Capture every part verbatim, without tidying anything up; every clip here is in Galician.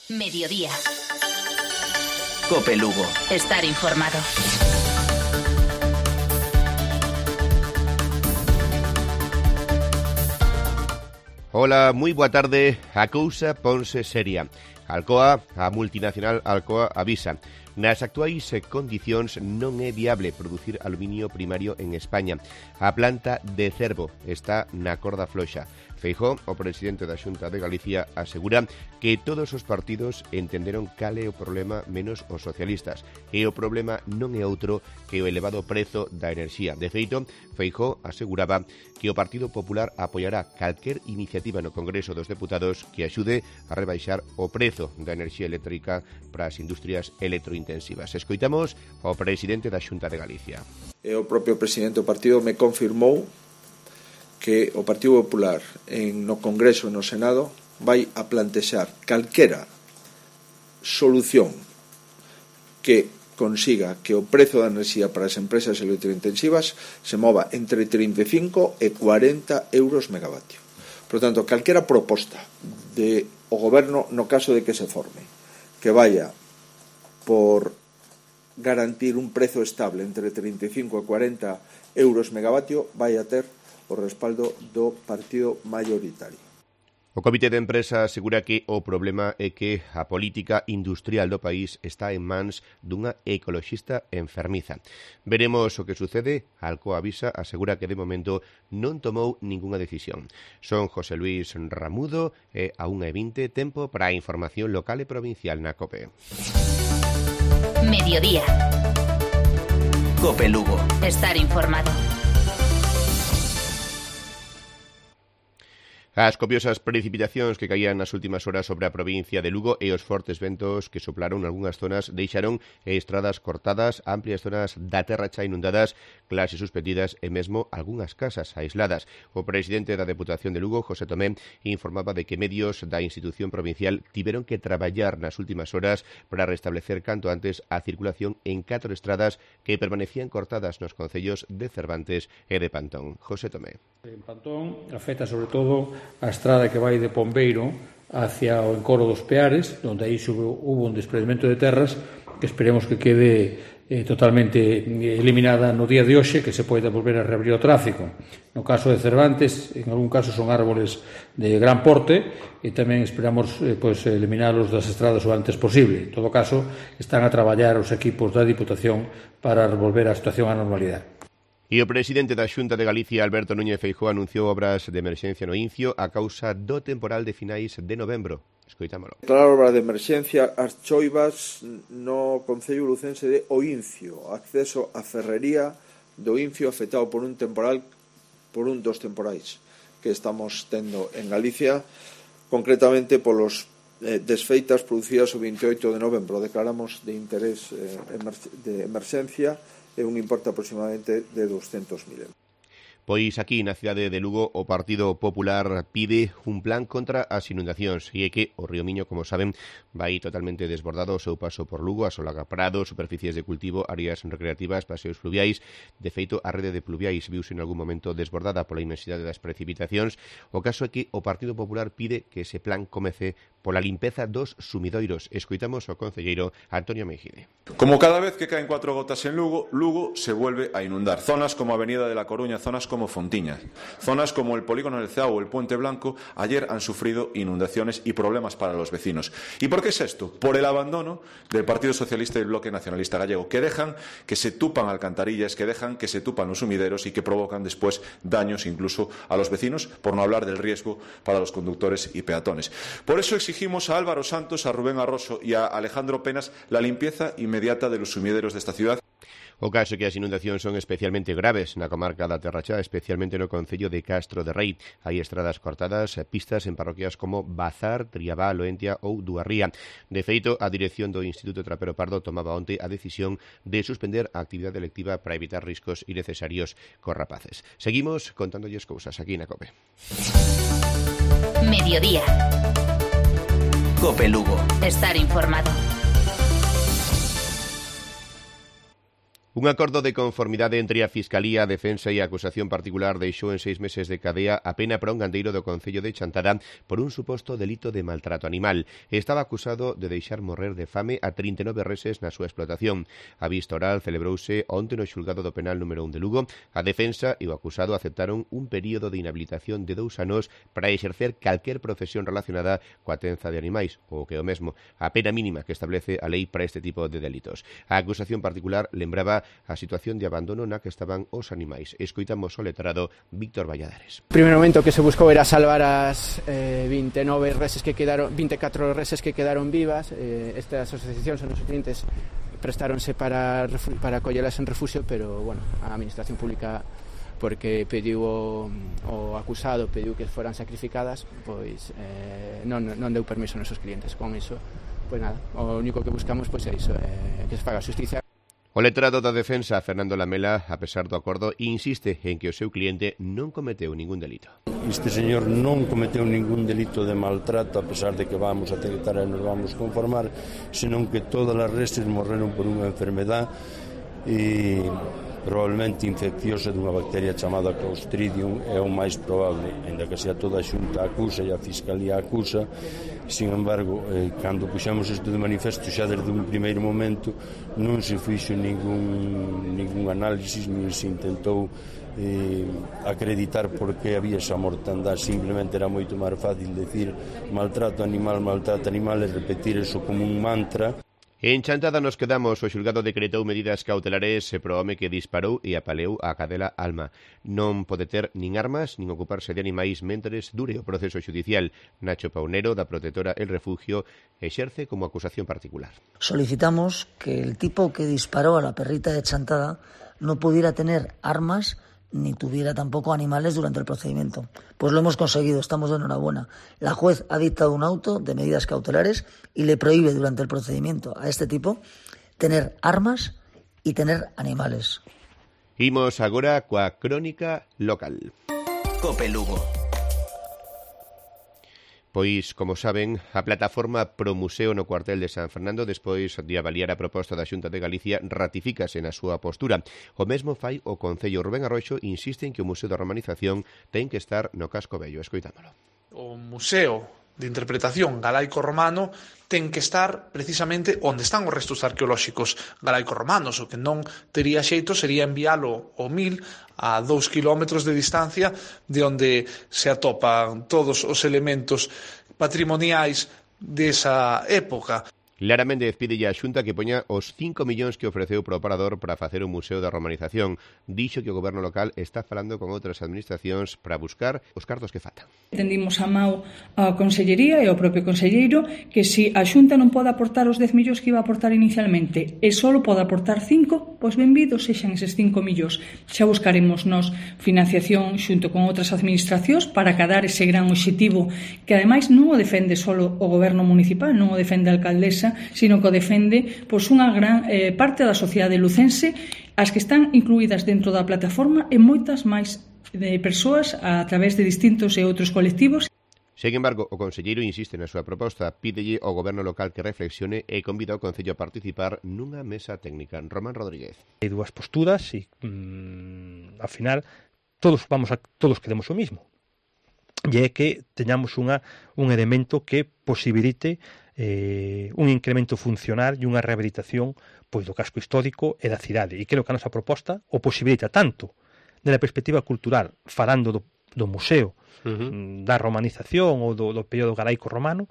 Mediodía. COPE Lugo. Estar informado. Ola, moi boa tarde. A cousa ponse seria. Alcoa, a multinacional Alcoa, avisa. Nas actuais condicións non é viable producir aluminio primario en España. A planta de Cervo está na corda floxa. Feijóo, o presidente da Xunta de Galicia, asegura que todos os partidos entenderon cal é o problema menos os socialistas. E o problema non é outro que o elevado prezo da enerxía. De feito, Feijóo aseguraba que o Partido Popular apoiará calquer iniciativa no Congreso dos Deputados que axude a rebaixar o prezo da enerxía eléctrica para as industrias electrointensivas. Escoitamos ao presidente da Xunta de Galicia. E o propio presidente do partido me confirmou que o Partido Popular en, no Congreso e no Senado vai a plantexar calquera solución que consiga que o prezo da enerxía para as empresas electrointensivas se mova entre trinta e cinco e cuarenta euros megavatio. Por tanto, calquera proposta de o goberno, no caso de que se forme, que vaya por garantir un prezo estable entre trinta e cinco e cuarenta euros megavatio, vai a ter o respaldo do partido mayoritario. O Comité de Empresa asegura que o problema é que a política industrial do país está en mans dunha ecoloxista enfermiza. Veremos o que sucede. Alcoa avisa asegura que de momento non tomou ningunha decisión. Son José Luis Ramudo e a unha e vinte, tempo para a información local e provincial na COPE. Mediodía. COPE Lugo. Estar informado. As copiosas precipitacións que caían nas últimas horas sobre a provincia de Lugo e os fortes ventos que soplaron algunhas zonas deixaron estradas cortadas, amplias zonas da terra xa inundadas, clases suspendidas e mesmo algunhas casas aisladas. O presidente da Deputación de Lugo, José Tomé, informaba de que medios da institución provincial tiveron que traballar nas últimas horas para restablecer canto antes a circulación en catro estradas que permanecían cortadas nos concellos de Cervantes e de Pantón. José Tomé. En Pantón afecta sobre todo a estrada que vai de Pombeiro hacia o encoro dos Peares, onde aí hubo un desprendimento de terras que esperemos que quede eh, totalmente eliminada no día de hoxe, que se poida volver a reabrir o tráfico. No caso de Cervantes, en algún caso son árboles de gran porte e tamén esperamos eh, pues, eliminalos das estradas o antes posible. En todo caso, están a traballar os equipos da Diputación para volver a situación á normalidade. E o presidente da Xunta de Galicia, Alberto Núñez Feijóo, anunciou obras de emerxencia no Incio a causa do temporal de finais de novembro. Escoitámolo. Declarar obra de emerxencia as choivas no concello lucense de O Incio, acceso á ferrería do Incio afectado por un temporal, por un dos temporais que estamos tendo en Galicia, concretamente polos eh, desfeitas producidas o veinte e oito de novembro. Declaramos de interés eh, de emerxencia e un importe aproximadamente de doscientos mil euros. Pois aquí na cidade de Lugo o Partido Popular pide un plan contra as inundacións e é que o río Miño, como saben, vai totalmente desbordado o seu paso por Lugo, asolaga prados, superficies de cultivo, áreas recreativas, paseos fluviais. De feito, a rede de pluviais viuse en algún momento desbordada pola inmensidade das precipitacións. O caso é que o Partido Popular pide que ese plan comece pola limpeza dos sumidoiros. Escoitamos ao concelleiro Antonio Mejide. Como cada vez que caen cuatro gotas en Lugo, Lugo se vuelve a inundar. Zonas como Avenida de la Coruña, zonas como Fontiñas, zonas como el Polígono del Ceao o el Puente Blanco, ayer han sufrido inundaciones y problemas para los vecinos. ¿Y por qué es esto? Por el abandono del Partido Socialista y el Bloque Nacionalista Gallego, que dejan que se tupan alcantarillas, que dejan que se tupan los sumideros y que provocan después daños incluso a los vecinos, por no hablar del riesgo para los conductores y peatones. Por eso exigimos a Álvaro Santos, a Rubén Arroso y a Alejandro Penas la limpieza inmediata de los sumideros de esta ciudad. O caso é que as inundacións son especialmente graves na comarca da Terra Chá, especialmente no concello de Castro de Rei. Hai estradas cortadas, pistas en parroquias como Bazar, Triabá, Loentia ou Duarría. De feito, a dirección do Instituto Trapero Pardo tomaba onte a decisión de suspender a actividade lectiva para evitar riscos innecesarios cos rapaces. Seguimos contándolles cousas aquí na COPE. Mediodía. COPE Lugo. Estar informado. Un acordo de conformidade entre a Fiscalía, a Defensa e a acusación particular deixou en seis meses de cadea a pena para un gandeiro do Concello de Chantada por un suposto delito de maltrato animal. Estaba acusado de deixar morrer de fame a trinta e nove reses na súa explotación. A vista oral celebrouse onte no xulgado do penal número un de Lugo. A Defensa e o acusado aceptaron un período de inhabilitación de dous anos para exercer calquer profesión relacionada coa tenza de animais, ou que é o mesmo, a pena mínima que establece a lei para este tipo de delitos. A acusación particular lembraba a situación de abandono na que estaban os animais. Escoitamos o letrado Víctor Valladares. O primeiro momento que se buscou era salvar as eh, vinte e nove reses que quedaron, vinte e catro reses que quedaron vivas. Eh, estas asociacións e os clientes prestáronse para, para acollelas en refugio, pero, bueno, a administración pública, porque pediu o, o acusado, pediu que foran sacrificadas, pois eh, non, non deu permiso aos nosos clientes. Con iso, pois nada, o único que buscamos pois é iso, eh, que se faga justicia. O letrado da Defensa, Fernando Lamela, a pesar do acordo, insiste en que o seu cliente non cometeu ningún delito. Este señor non cometeu ningún delito de maltrato, a pesar de que vamos a aceptar e nos vamos conformar, senón que todas as reses morreron por unha enfermedad e probablemente infecciosa dunha bacteria chamada Clostridium, é o máis probable, ainda que sea toda a xunta acusa e a Fiscalía acusa. Sin embargo, eh, cando puxamos isto de manifesto xa desde un primeiro momento non se fixo ningún, ningún análisis, nin se intentou eh, acreditar por que había esa mortandade. Simplemente era moito máis fácil decir maltrato animal, maltrato animal e repetir eso como un mantra. En Chantada nos quedamos. O xulgado decretou medidas cautelares pro home que disparou e apaleou a cadela Alma. Non pode ter nin armas nin ocuparse de animais mentres dure o proceso xudicial. Nacho Paunero, da Protectora El Refugio, exerce como acusación particular. Solicitamos que el tipo que disparó a la perrita de Chantada no pudiera tener armas ni tuviera tampoco animales durante el procedimiento. Pues lo hemos conseguido, estamos de enhorabuena. La juez ha dictado un auto de medidas cautelares y le prohíbe durante el procedimiento a este tipo tener armas y tener animales. Imos agora coa crónica local. Cope Lugo. Pois, como saben, a plataforma Pro Museo no cuartel de San Fernando, despois de avaliar a proposta da Xunta de Galicia, ratifícase na súa postura. O mesmo fai o Concello. Rubén Arroxo insiste en que o Museo da Romanización ten que estar no casco vello. Escoitámolo. O Museo de Interpretación galaico-romano ten que estar precisamente onde están os restos arqueolóxicos galaico-romanos. O que non tería xeito sería enviálo ao Mil, a dous kilómetros de distancia, de onde se atopan todos os elementos patrimoniais desa época. Lara Méndez pide a Xunta que poña os cinco millóns que ofreceu pro operador para facer un museo da romanización. Dixo que o goberno local está falando con outras administracións para buscar os cartos que faltan. Tendimos a mau a Consellería e ao propio Conselleiro que se a Xunta non pode aportar os dez millóns que iba a aportar inicialmente e só pode aportar cinco, pois benvidos sexan eses cinco millóns. Xa buscaremos nos financiación xunto con outras administracións para acadar ese gran obxectivo que ademais non o defende só o goberno municipal, non o defende a alcaldesa, sino que o defende pois, unha gran eh, parte da sociedade lucense, as que están incluídas dentro da plataforma e moitas máis de persoas a través de distintos e outros colectivos. Sen embargo, o conselleiro insiste na súa proposta, pídelle ao goberno local que reflexione e convida ao Concello a participar nunha mesa técnica. Román Rodríguez. Hai dúas posturas e, mmm, ao final, todos vamos a, todos queremos o mismo. E é que teñamos unha, un elemento que posibilite eh, un incremento funcional e unha rehabilitación pois, do casco histórico e da cidade. E creo que a nosa proposta o posibilita tanto na perspectiva cultural, falando do, do museo, uh-huh. da romanización ou do, do período galaico-romano,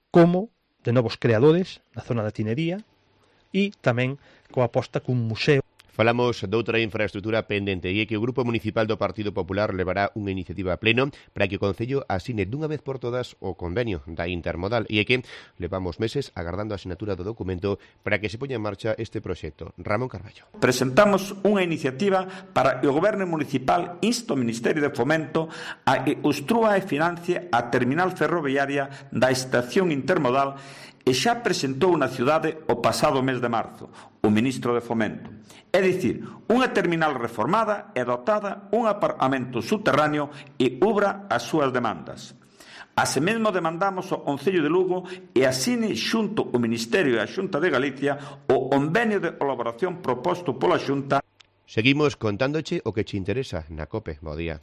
como de novos creadores na zona da tinería e tamén coa aposta cun museo. Falamos doutra infraestructura pendente e é que o Grupo Municipal do Partido Popular levará unha iniciativa a pleno para que o Concello asine dunha vez por todas o convenio da Intermodal e é que levamos meses agardando a asinatura do documento para que se poña en marcha este proxecto. Ramón Carballo. Presentamos unha iniciativa para que o Goberno Municipal inste o Ministerio de Fomento a que construa e financie a terminal ferroviaria da Estación Intermodal e xa presentou na cidade o pasado mes de marzo o Ministro de Fomento. É dicir, unha terminal reformada e dotada un apartamento subterráneo e ubra as súas demandas. Así mesmo demandamos ao Concello de Lugo e asine xunto o Ministerio e a Xunta de Galicia o o convenio de colaboración proposto pola Xunta. Seguimos contándoche o que che interesa na COPE. Bo día.